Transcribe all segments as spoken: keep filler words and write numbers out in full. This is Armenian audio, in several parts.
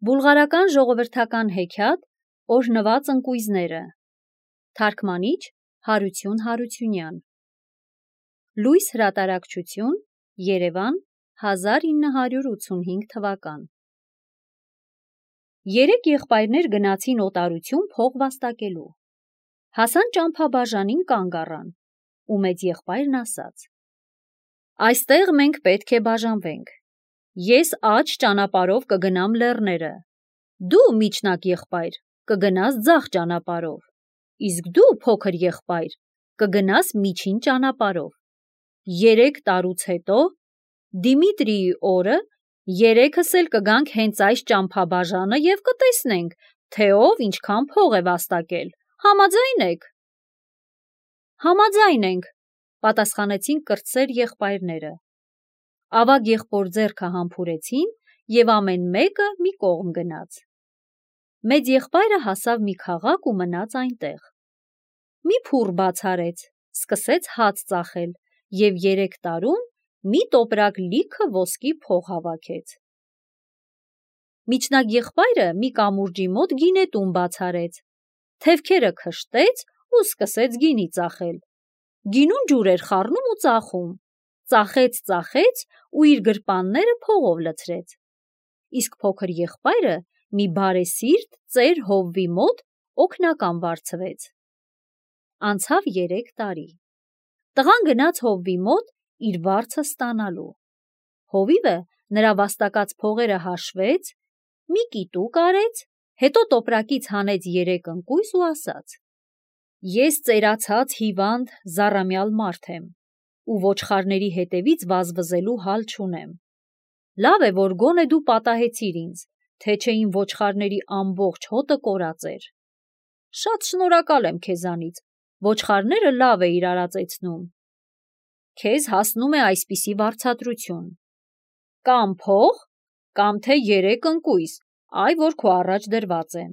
Բուլղարական ժողովրդական հեքիաթ Օրհնված ընկույզները Թարգմանիչ Հարություն Հարությունյան Լույս հրատարակչություն Երևան հազար ինը հարյուր ութսունհինգ թվական Երեք եղբայրներ գնացին օտարություն փող վաստակելու Հասան ճամփաբաժանին կանգ առան ու մեծ եղբայրն ասաց Այստեղ մենք պետք է բաժանվենք Ես աջ ճանապարհով կգնամ լեռները, դու միջնակ եղբայր կգնաս ձախ ճանապարհով, իսկ դու փոքր եղբայր կգնաս միջին ճանապարհով։ Երեք տարուց հետո Դիմիտրիի օրը երեքս էլ կգանք հենց այս ճամփաբաժանը եւ կտեսնենք, թե ով ինչքան փող է վաստակել։ Համաձայն եք։ Համաձայն ենք, պատասխանեցին կրտսեր եղբայրները։ Ավագ եղբոր ձեռքը համբուրեցին եւ ամեն մեկը մի կողմ գնաց։ Մեծ եղբայրը հասավ մի քաղաք ու մնաց այնտեղ։ Մի փուռ բաց արեց, սկսեց հաց ծախել եւ երեք տարում մի տոպրակ լիքը ոսկի փող հավաքեց։ Միջնակ եղբայրը մի կամուրջի մոտ գինետուն բաց արեց, թևքերը քշտեց ու սկսեց գինի ծախել։ Գինուն ջուր էր խառնում ու ծախում։ Ծախեց, ծախեց ու իր գրպանները փողով լցրեց։ Իսկ փոքր եղբայրը մի բարեսիրտ ծեր հովվի մոտ օգնական վարձվեց։ Անցավ երեք տարի։ Տղան գնաց հովվի մոտ իր վարձը ստանալու։ Հովիվը նրա վաստակած փողերը հաշվեց, մի կիտուկ արեց, հետո տոպրակից հանեց երեք ընկույզ ու ասաց. Ես ծերացած հիվանդ զառամյալ մարդ եմ ու ոչխարների հետևից վազվզելու հալ չունեմ։ Լավ է, որ գոնե դու պատահեցիր ինձ, թե չէ իմ ոչխարների ամբողջ հոտը կորած էր։ Շատ շնորհակալ եմ քեզանից, ոչխարները լավ էիր արածեցնում։ Քեզ հասնում է այսպիսի վարձատրություն. կամ փող, կամ թե երեք ընկույզ, այ որ քո առաջ դրված են։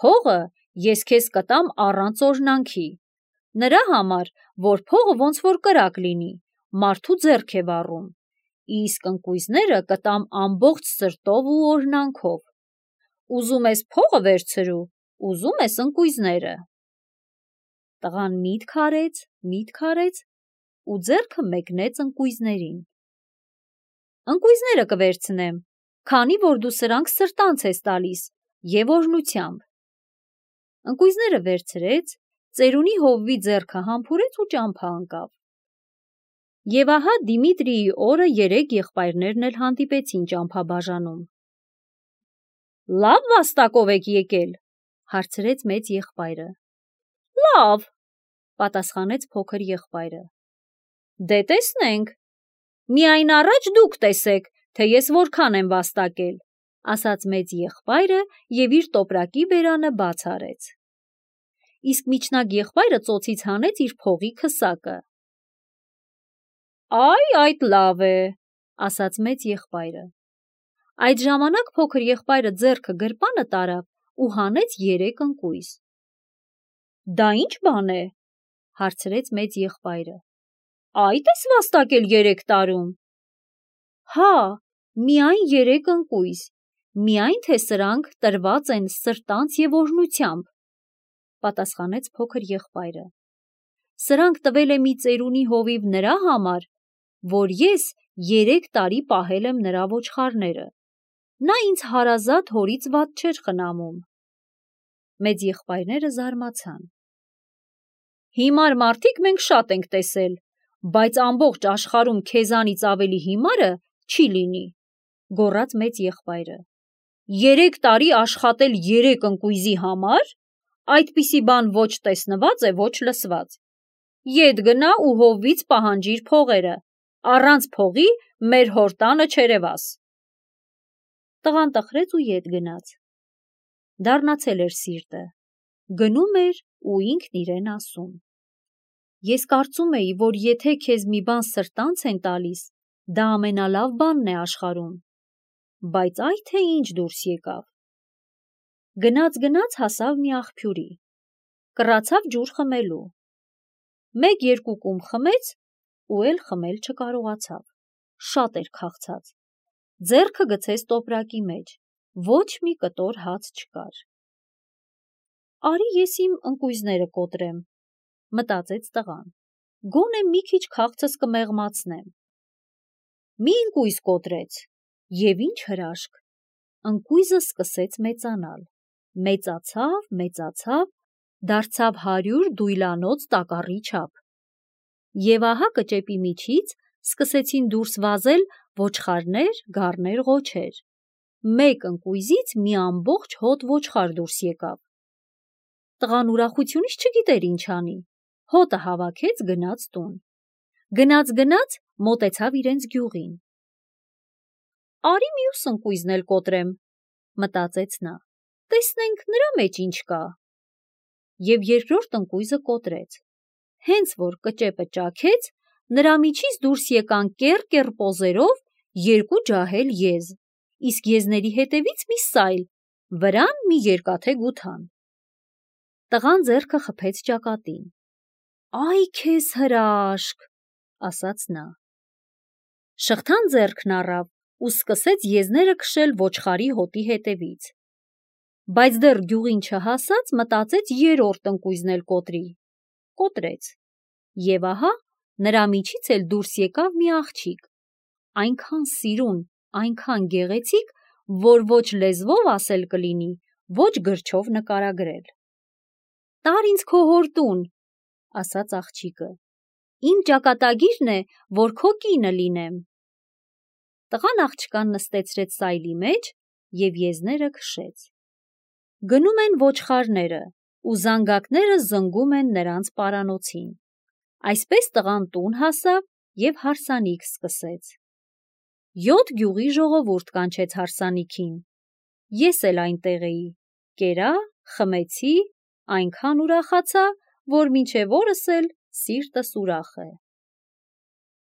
Փողը ես քեզ կտամ առանց օրհնանքի, նրա համար, որ փողը ոնց որ կրակ լինի, մարդու ձեռք է վառում, իսկ ընկույզները կտամ ամբողջ սրտով ու օրհնանքով։ Ուզում ես փողը վերցրու, ուզում ես ընկույզները։ Տղան միտք արեց, միտք արեց ու ձեռքը մեկնեց ընկույզներին։ Ընկույզները կվերցնեմ, քանի որ դու սրանք սրտանց ես տալիս եւ օրհնությամբ։ Ընկույզները վերցրեց, ծերունի հովվի ձեռքը համբուրեց ու ճամփա ընկավ։ Եվ ահա Դիմիտրիի օրը երեք եղբայրներն էլ հանդիպեցին ճամփաբաժանում։ Լավ վաստակով եք եկել, հարցրեց մեծ եղբայրը։ Լավ, պատասխանեց փոքր եղբայրը։ Դե տեսնենք։ Միայն առաջ դուք տեսեք, թե ես որքան եմ վաստակել, ասաց մեծ եղբայրը եւ իր տոպրակի բերանը բաց արեց։ Իսկ միջնակ եղբայրը ծոցից հանեց իր փողի քսակը։ Այ այդ լավ է, ասաց մեծ եղբայրը։ Այդ ժամանակ փոքր եղբայրը ձեռքը գրպանը տարավ ու հանեց երեք ընկույզ։ Դա ի՞նչ բան է, հարցրեց մեծ եղբայրը։ Այդ ես վաստակել երեք տարում։ Հա, միայն երեք ընկույզ, միայն թե սրանք տրված են սրտանց եւ օրհնությամբ, պատասխանեց փոքր եղբայրը։ Սրանք տվել է մի ծերունի հովիվ նրա համար, որ ես երեք տարի պահել եմ նրա ոչխարները։ Նա ինձ հարազատ հորից վատ չէր խնամում։ Մեծ եղբայրները զարմացան։ Հիմար մարդիկ մենք շատ ենք տեսել, բայց ամբողջ աշխարհում քեզանից ավելի հիմարը չի լինի, գոռաց մեծ եղբայրը։ Երեք տարի աշխատել երեք ընկույզի համար, այդպիսի բան ոչ տեսնված է, ոչ լսված։ Ետ գնա ու հովվից պահանջիր փողերը, առանց փողի մեր հոր տանը չերևաս։ Տղան տխրեց ու ետ գնաց։ Դառնացել էր սիրտը, գնում էր ու ինքն իրեն ասում. Ես կարծում էի, որ եթե քեզ մի բան սրտանց են տալիս, դա ամենալավ բանն է աշխարհում, բայց այ թե ինչ դուրս եկավ։ Գնաց-գնաց հասավ մի աղբյուրի, կռացավ ջուր խմելու։ Մեկ-երկու կում խմեց ու էլ խմել չկարողացավ, շատ էր քաղցած։ Ձեռքը գցեց տոպրակի մեջ, ոչ մի կտոր հաց չկար։ Արի ես իմ ընկույզները կոտրեմ, մտածեց տղան, գոնե մի քիչ քաղցս կմեղմացնեմ։ Մի ընկույզ կոտրեց, և ինչ հրաշք, ընկույզը սկսեց մեծանալ, մեծացավ, մեծացավ, դարձավ հարյուր դույլանոց տակառի չափ։ Եվ ահա կճեպի միջից սկսեցին դուրս վազել ոչխարներ, գառներ, ղոչեր։ Մեկ ընկույզից մի ամբողջ հոտ ոչխար դուրս եկավ։ Տղան ուրախությունից չգիտեր ինչ անի, հոտը հավաքեց, գնաց տուն։ Գնաց-գնաց մոտեցավ իրենց գյուղին։ Արի մյուս ընկույզն էլ կոտրեմ, մտածեց նա, տեսնենք նրա մեջ ինչ կա։ Եվ երկրորդ ընկույզը կոտրեց։ Հենց որ կճեպը ճաքեց, նրա միջից դուրս եկան կեռ-կեռ պոզերով երկու ջահել եզ, իսկ եզների հետևից մի սայլ, վրան մի երկաթե գութան։ Տղան ձեռքը խփեց ճակատին։ Այ քեզ հրաշք, ասաց նա։ Շղթան ձեռքն առավ ու սկսեց եզները քշել ոչխարի հոտի հետևից։ Բայց դեռ գյուղին չհասած մտածեց երրորդ ընկույզն էլ կոտրի։ Կոտրեց։ Եվ ահա նրա միջից էլ դուրս եկավ մի աղջիկ, այնքան սիրուն, այնքան գեղեցիկ, որ ոչ լեզվով ասել կլինի, ոչ գրչով նկարագրել։ Տար ինձ քո հոր տուն, ասաց աղջիկը, իմ ճակատագիրն է, որ քո կինը լինեմ։ Տղան աղջկան նստեցրեց սայլի մեջ և եզները քշեց։ Գնում են ոչխարները, ու զանգակները զնգում են նրանց պարանոցին։ Այսպես տղան տուն հասավ և հարսանիք սկսեց։ Յոթ գյուղի ժողովուրդ կանչեց հարսանիքին։ Ես էլ այնտեղ էի, կերա, խմեցի, այնքան ուրախացա, որ մինչև օրս էլ սիրտս ուրախ է։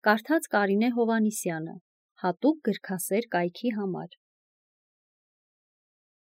Կարդաց Կարինե Հովհաննիսյանը, հատուկ գրքասեր կայքի համար։